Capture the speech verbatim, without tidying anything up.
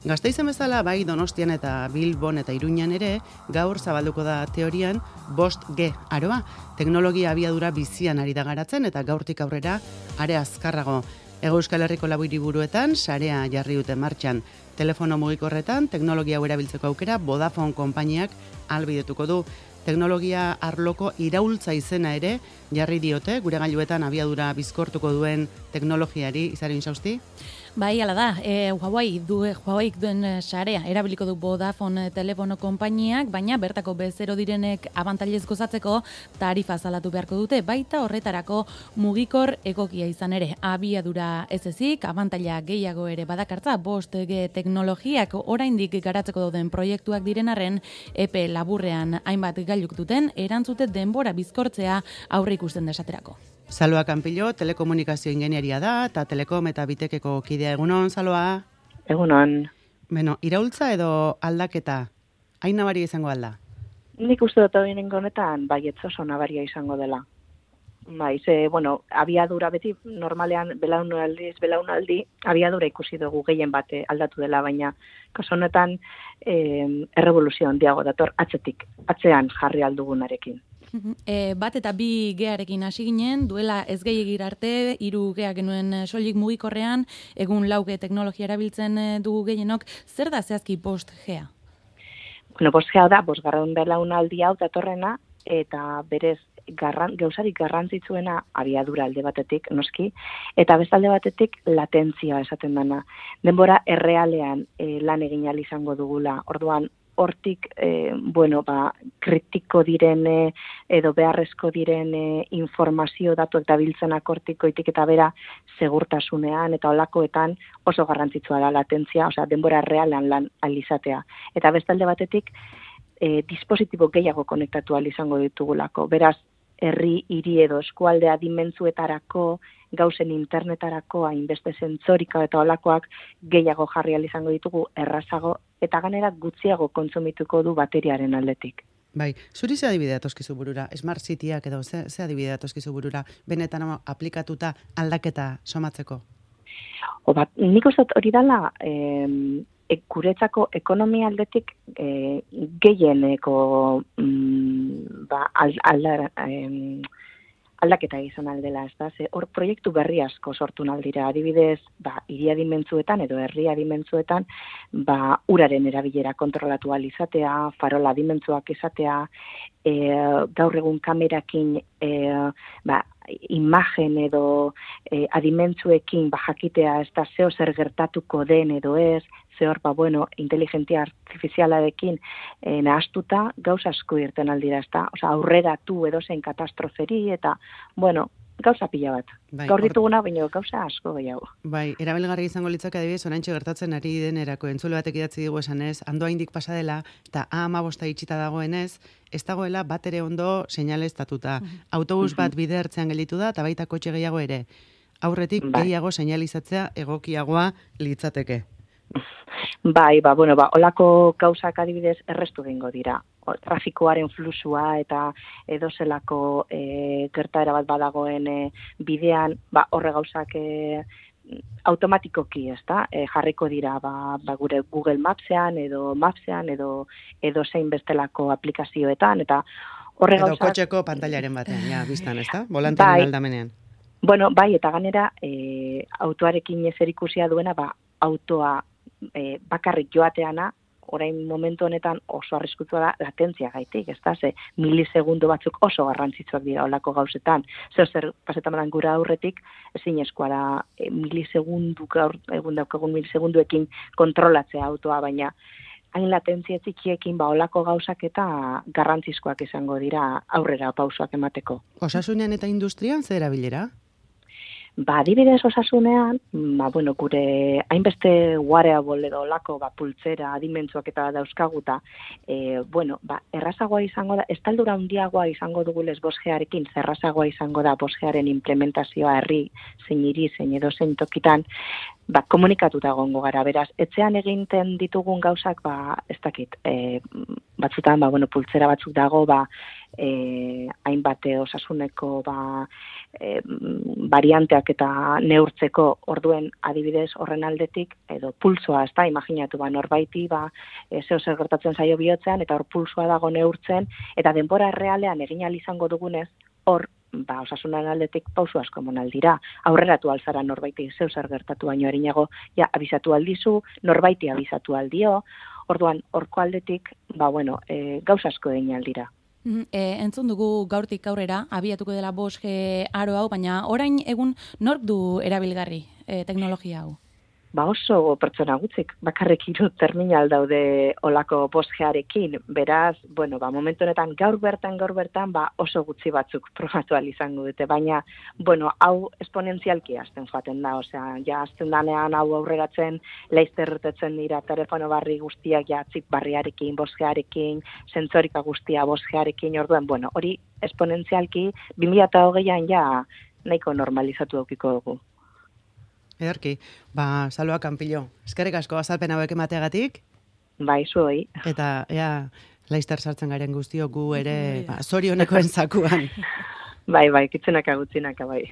Gasteizen bezala bai Donostian eta Bilbon eta Iruñan ere, gaur zabalduko da teorian bost G aroa. Teknologia abiadura bizian ari da garatzen eta gaurtik aurrera are azkarrago. Hego Euskal Herriko lau hiriburuetan sarea jarri dute martxan. Telefono mugikorretan teknologia hau erabiltzeko aukera Vodafone konpainiak ahalbidetuko du. Teknologia arloko iraultza izena ere jarri diote, gure gailuetan abiadura bizkortuko duen teknologiari. Izarin Sausti? Bai, ala da, e, Huawei du, Huawei duen sarea erabiliko du Vodafone telefono konpainiak, baina bertako bezero direnek abantailez gozatzeko tarifa zalatu beharko dute, baita horretarako mugikor egokia izan ere. Abiadura ez ezik, abantaila gehiago ere badakartza, bost G teknologiak oraindik garatzeko dauden proiektuak direnarren, epe laburrean hainbat gailuk duten, erantzute denbora bizkortzea aurre ikusten desaterako. Saloa Kanpillo, telekomunikazio ingenieria da, eta telekom eta bitekeko kidea. Egunon, Saloa? Egunon. Beno, iraultza edo aldaketa, hain nabaria izango alda? Nik uste dut hori honetan, bai, ez oso nabaria izango dela. Bai, ze, bueno, abiadura beti, normalean, belaunaldiz, belaunaldi, abiadura ikusi dugu gehien bate aldatu dela, baina kaso honetan eh, errevoluzio handiago dator atzetik, atzean jarri aldugunarekin. E, bat eta bi gearekin hasi ginen, duela ez gehiagir arte, hiru gea genuen soilik mugikorrean, egun lauge teknologia erabiltzen dugu gehienok, zer da zehazki bost gea? Bueno, bost gea da, bosgarren belaunaldi hau datorrena, eta berez garran, gauzarik garrantzitsuena abiadura alde batetik, noski, eta bestalde batetik latentzia esaten dana. Denbora errealean e, lan egin ahal izango dugula, orduan, hortik, eh, bueno, ba, kritiko direne edo beharrezko direne informazio datuak dabiltzenak hortikoitik eta bera segurtasunean eta olakoetan oso garrantzitsua da latentzia, osea, denbora realean lan alizatea. Eta bestalde batetik, eh, dispositibo gehiago konektatu ahal izango ditugulako. Beraz, herri, hiri edo eskualdea dimentzuetarako, gauzen internetarako, hainbeste zentzorika eta olakoak gehiago jarri ahal izango ditugu errazago, eta ganera gutxiago kontsumituko du bateriaren aldetik. Bai, zuri ze adibidea toskizu burura, Smart Cityak edo ze, ze adibidea toskizu burura, benetan aplikatuta aldaketa somatzeko? O bat, nik uste hori dela, eh, e, guretzako ekonomia aldetik eh, gehieneko mm, ba, al, al, eh, aldaketa izan aldela, ez da, ze hor proiektu berri asko sortu naldira, adibidez, ba, iria dimentzuetan edo herria dimentzuetan, ba, uraren erabilera kontrolatu ahal izatea, farola dimentzuak izatea, e, gaur egun kamerakin, e, ba, imagen edo e, adimentzuekin ba, jakitea ez da zeo zer gertatuko den edo ez, zehor, ba, bueno, inteligentzia artifizialarekin e, nahastuta gauza asko irten aldira, ez da, osea, aurreratu edozein katastroferi eta, bueno, gauza pila bat. Bai, gaur dituguna, baina gauza asko gehiago. Bai, erabilgarri izango litzake adibidez, oraintxe gertatzen ari denerako entzule batek idatzi digu esanez, ando haindik pasa dela, eta A hamabosta itxita dagoenez, ez dagoela bat ere ondo seinaleztatuta. Uh-huh. Autobus bat bide ertzean gelditu da, eta baita kotxe gehiago ere. Aurretik bai. Gehiago seinalizatzea egokiagoa litzateke. Bai, ba, bueno, ba, olako gauzak adibidez errestu egingo dira. O, trafikoaren flusua eta edozelako e, gertaera bat badagoen e, bidean, ba, horre gauzak e, automatikoki, ez da, e, jarriko dira ba, ba, gure Google Mapsean edo Mapsean edo edo zein bestelako aplikazioetan, eta horre edo gauzak... Edo kotxeko pantailaren batean, ja, biztan, ez da? Volantearen bai, aldamenean. Bueno, bai, eta ganera, e, autoarekin ezerikusia duena, ba, autoa e, bakarrik joateana, orain momentu honetan oso arriskutsua da latentzia gaitik, ez da, ze milisegundu batzuk oso garrantzitsuak dira olako gauzetan. Zer zer pasetaman gura aurretik, ezin eskua da e, milisegundu gaur, egun daukagun milisegunduekin kontrolatzea autoa, baina hain latentzia txikiekin ba olako gauzak eta garrantzizkoak izango dira aurrera pausoak emateko. Osasunean eta industrian zer erabilera? Ba, adibidez osasunean, ba, bueno, gure hainbeste wearable edo lako, ba, pultzera, adimentzuak eta dauzkaguta, e, bueno, ba, errazagoa izango da, estaldura handiagoa izango dugulez bosgearekin, zerrazagoa izango da bosgearen implementazioa herri, zein hiri, zein edo zein tokitan, ba, komunikatuta egongo gara, beraz, etxean eginten ditugun gauzak, ba, ez dakit, e, batzutan, ba, bueno, pultzera batzuk dago, ba, e, hainbat osasuneko ba, e, varianteak eta neurtzeko orduen adibidez horren aldetik, edo pulsoa, ez da, imaginatu, ba, norbaiti, ba, e, zeo zer gertatzen zaio bihotzean, eta hor pulsoa dago neurtzen, eta denbora realean egin ahal izango dugunez, hor, ba, osasunan aldetik pausu asko eman aldira. Aurreratu alzara norbaiti zeu zer gertatu baino erinago, ja, abizatu aldizu, norbaiti abizatu aldio, orduan, horko aldetik, ba, bueno, e, gauza asko egin aldira. E, entzun dugu gaurtik aurrera, abiatuko dela bost G aro hau, baina orain egun nork du erabilgarri e, teknologia hau? Ba oso pertsona gutxik, bakarrik hiru terminal daude olako bost G-arekin, beraz, bueno, ba, momentu honetan gaur bertan, gaur bertan, ba, oso gutxi batzuk probatu ahal izango dute, baina, bueno, hau esponentzialki hasten joaten da, osea, ja, hasten danean hau aurreratzen, laizterretetzen dira telefono barri guztiak, ja, txip barriarekin, bost G-arekin, sensorika guztia bost G-arekin, orduen, bueno, hori esponentzialki, bi mila hogeian ja, nahiko normalizatu daukiko dugu. Ederki, ba, Salua Kanpilo, eskerrik asko azalpen hauek emateagatik. Bai, zuoi. Eta, ea, laizter sartzen garen guztiok gu ere, ba, zorionekoen zakuan. Bai, bai, kitzenaka gutzinaka, bai.